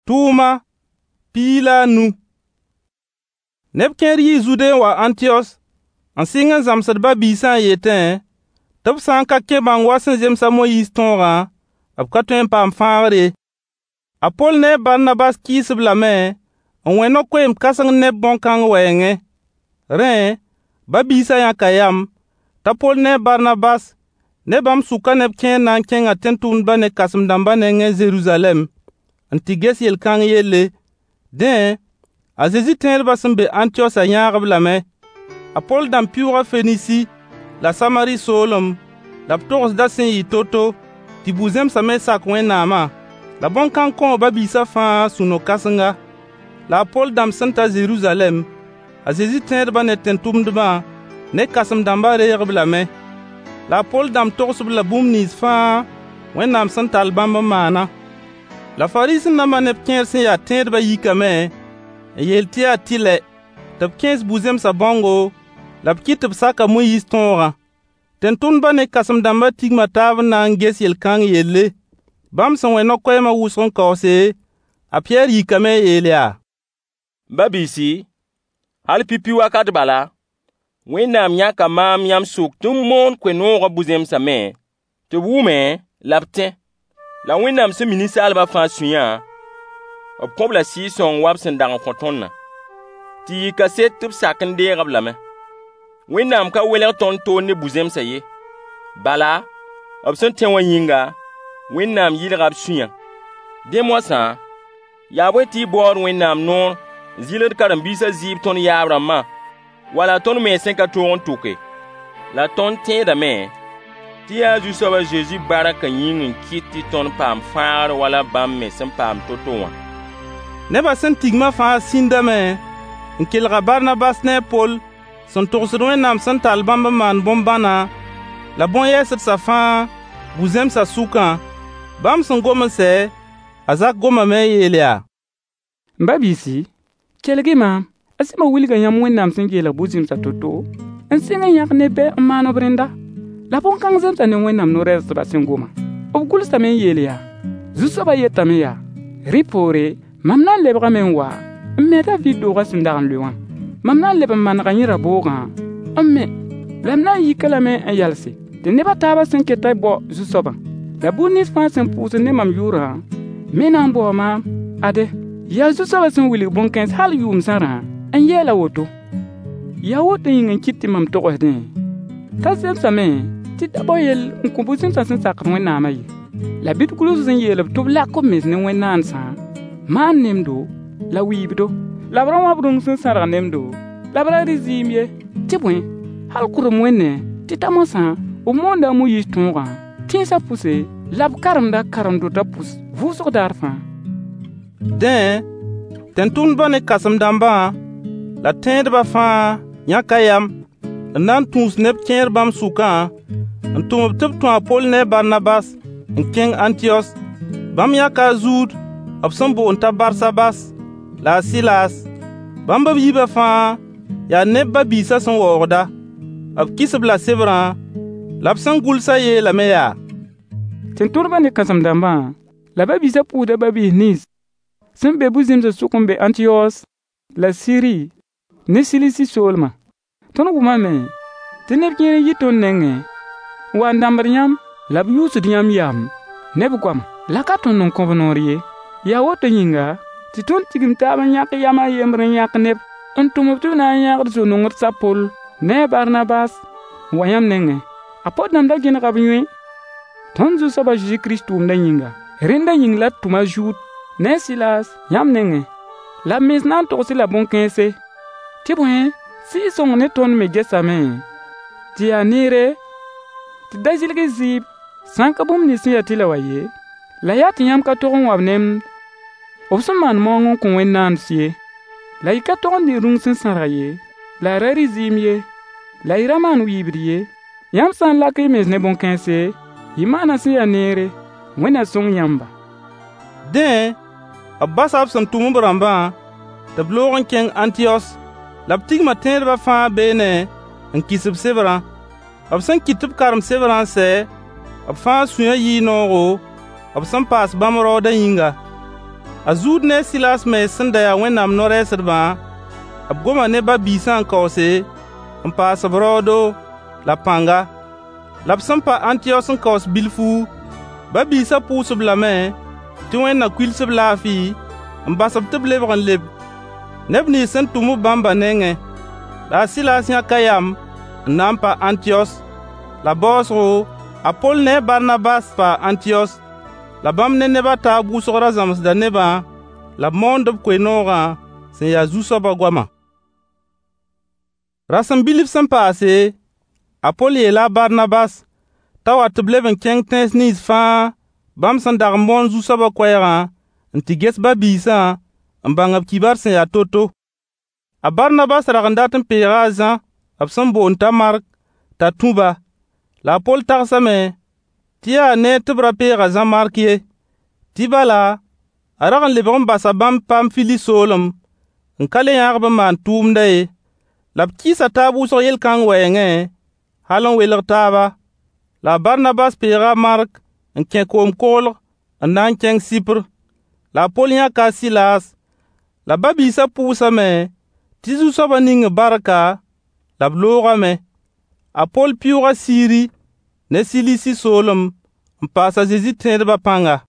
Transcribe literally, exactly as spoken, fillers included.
Tʋʋma piig la a nu. Neb kẽer yii Zude n wa Ãntiyos n sɩng n zãmsd ba-biisã n yetẽ tɩ b sã n ka kẽ bãng wa sẽn zems a Moyiis tõogã, b ka tõe n paam fãagr ye. A Poll ne a Barnabas kɩɩs-b lame n wẽ no-koeemd kãseng neb bõn-kãng wɛɛngẽ. Rẽ, ba-biisã yãka yam t'a Poll ne a Barnabas ne bãmb sʋka neb kẽer na n kẽnga tẽn-tʋmdbã ne kãsem-dãmbã nengẽ Zeruzalɛm n tɩ ges yel-kãng yelle. Dẽ, a Zezi tẽedbã sẽn be Ãntiyosã yãag-b lame. A Poll dãmb pɩʋʋga Fenisi la Samari soolem, la b togsdã sẽn yɩ to-to tɩ bu-zẽmsã me sak Wẽnnaamã. La bõn-kãng kõo ba-biisã fãa sũ-no-kãsenga. La a Poll dãmb sẽn ta Zeruzalɛm, a Zezi tẽedbã ne tẽn-tʋmdbã ne kãsem-dãmbã reeg-b lame. La a Poll dãmb togs-b la bũmb nins fãa Wẽnnaam sẽn tall bãmb n maana. La Fariisẽ-dãmbã neb kẽer sẽn ya tẽedbã yikame n yeel tɩ yaa tɩlɛ tɩ b kẽes bu-zẽmsã bãongo la b kɩt tɩ b sak a Moyiis tõogã. Tẽn-tʋmdbã ne kãsem-dãmbã tigma taab n na n ges yel-kãng yelle. Bãmb sẽn wẽ no-koɛɛmã wʋsg n kaoose, a Pɩyɛɛr yikame n yeel yaa: M ba-biisi, hal pipi wakat bala, Wẽnnaam yãka maam yãmb sʋk tɩ m moon koe-noogã bu-zẽmsã me, tɩ b wʋme la b tẽ. La Wẽnnaam sẽn mi ninsaalbã fãa sũyã, b kõ-b la Sɩɩg-sõng wa b sẽn dag n kõ tõndã. Tɩ yɩ kaset tɩ b sak n deeg-b lame. Wẽnnaam ka welg tõnd toor ne bu-zẽmsã ye. Bala, b sẽn tẽ wã yĩnga, Wẽnnaam yɩlga b sũyã. Dẽ moasã, yaa bõe tɩ y baood Wẽnnaam noor n zɩlgd karen-biisã zɩɩb tõnd yaab-rãmbã wala tõnd mens sẽn ka tõog n tʋke? La tõnd tẽedame tɩ yaa Zu-soab a Zezi barkã yĩng n kɩt tɩ tõnd paam fãagr wala bãmb me sẽn paam to-to wã. Nebã sẽn tigmã fãa sĩndame n kelg a Barnabas ne a Poll sẽn togsd Wẽnnaam sẽn tall bãmb n maan bõn-bãna la bõn-yɛɛsdsã fãa bu-zẽmsã sʋkã. Bãmb sẽn gom n sɛ, a Zak gomame n yeel yaa: M ba-biisi, kelg-y maam. A Sɩmo wilga yãmb Wẽnnaam sẽn geelg bu-zẽmsã to-to n sɩng n yãk neb bɛ n maan b rẽnda. La bõn-kãng zemsa ne Wẽnnaam no-rɛɛsdbã sẽn goma. B gʋlsame n yeel yaa: Zu-soabã yetame yaa: Rẽ poore, mam na n lebgame n wa n me a Daviid doogã sẽn dag n lʋɩ wã. Mam na n leb n manega yẽ raboogã n me, la m na n yik-a lame n yalse, tɩ neb a taabã sẽn ketã bao Zu-soabã. La buud nins fãa sẽn pʋʋsd ne mam yʋʋrã me na n baoo maam. Ade, yaa Zu-soabã sẽn wilg bõn-kãens hal yʋʋm zãrã n yeel a woto. Yaa woto yĩng n kɩt tɩ mam togsdẽ t'a zemsame tɩ d da bao yell n kõ bu-zẽmsã sẽn sakd Wẽnnaamã ye. La bɩ d gʋls n yeel-b tɩ b lak b mens ne wẽn-naandsã, maan nemdo la wɩɩbdo, la b ra wãb rũng sẽn sãrg nemdo, la b ra rɩ zɩɩm ye. Tɩ bõe, hal kʋdem wẽnnẽ tɩ ta moasã, b moonda a Moyiis tõogã tẽnsã pʋse, la b karemda karen-dotã pʋs vʋʋsg daar fãa. Dẽ, tẽn-tʋmdbã ne kãsem-dãmbã la tẽedbã fãa yãka yam n na n tũus neb kẽer bãmb sʋkã n tʋm-b tɩ b tũ a Poll ne a Barnabas n kẽng Ãntiyos. Bãmb yãka a Zuud b sẽn boond t'a Barsabas la a Sɩlaas. Bãmb b yiibã fãa yaa neb ba-biisã sẽn waoogda. B kɩs-b la sebrã, la b sẽn gʋlsã yeelame yaa: Tẽn-tʋmdbã ne kãsem-dãmbã la ba-biisã pʋʋsda ba-biis nins sẽn be bu-zẽmsã sʋk n be Ãntiyos la Siri ne Silisi soolmã. Tõnd wʋmame tɩ neb kẽer n yi tõnd nengẽ n wa n dãmbd yãmb la b yʋʋsd yãmb yam ne b goama. La ka tõnd n kõ-b noor ye. Yaa woto yĩnga tɩ tõnd tigim taab n yãk yam a yembr n yãk neb n tʋm-b tɩ b na n yãgd zo-nongds a Poll ne a Barnabas n wa yãmb nengẽ. A Poll dãmb da gẽnega b yõe tõnd Zu-soab a Zezi Kirist tʋʋmdã yĩnga. Rẽnda yĩng la d tʋm a Zuud ne a Sɩlaas yãmb nengẽ. La b mens na n togs-y-la bõn-kãense. Tɩ bõe, Sɩɩg-sõng ne tõnd me gesame tɩ yaa neere tɩ d da zɩlg y zɩɩb sã n ka bũmb nins sẽn ya tɩlɛ wã ye, la yaa tɩ yãmb ka tog n wa b nemd b sẽn maan maoong n kõ wẽn-naands ye. La y ka tog n dɩ rũng sẽn sãrg ye, la y ra rɩ zɩɩm ye, la y ra maan wɩɩbd ye. Yãmb sã n lak y mens ne bõn-kãense, y maana sẽn ya neere. Wẽnd na sõng yãmba. Dẽ, b basa b sẽn tʋm b rãmbã tɩ b loog n kẽng Ãntiyos. La b tigma tẽedbã fãa beene n kɩs b sebrã. B sẽn kɩt tɩ b karem sebrã n sɛ, b fãa sũyã yɩɩ noogo b sẽn paas bãmb raoodã yĩnga. A Zuud ne a Sɩlaas mens sẽn da ya Wẽnnaam no-rɛɛsdbã, b goma ne ba-biisã n kaoose, n paas b raoodo la pãnga. La b sẽn pa Ãntiyos n kaoos bilfu, ba-biisã pʋʋs-b lame tɩ Wẽnd na kuils-b laafɩ, n bas-b tɩ b lebg n leb neb nins sẽn tʋm-b bãmbã nengẽ. La a Sɩlaas yãka yam n na n pa Ãntiyos. La baoosgo, a Poll ne a Barnabas paa Ãntiyos. La bãmb ne neb a taab wʋsg ra zãmsda nebã la b moond b koe-noogã sẽn ya Zu-soabã goama. Rasem bilf sẽn paase, a Poll yeela a Barnabas t'a wa tɩ b leb n kẽng tẽns nins fãa bãmb sẽn dag n moon Zu-soabã koɛɛgã n tɩ ges ba-biisã n bãng b kibar sẽn ya to-to. A Barnabas rag n dat n peega a Zã b sẽn boond t'a Mark t'a tũ-ba. La a Poll tagsame tɩ yaa neer tɩ b ra peeg a Zã Mark ye. Tɩ bala, a rag n lebg n basa bãmb Pamfili soolem n ka le yãag-b n maan tʋʋmdã ye. La b kɩɩsa taab wʋsg yel-kãng wɛɛngẽ, hal n welg taaba. La a Barnabas peega a Mark n kẽ koom-koglg n na n kẽng Sɩpr. La a Poll yãka a Sɩlaas, la ba-biisã pʋʋsame tɩ Zu-soabã ning-b barka, la b loogame. A Poll pɩʋʋga Siiri ne Silisi soolem n paas a Zezi tẽedbã pãnga.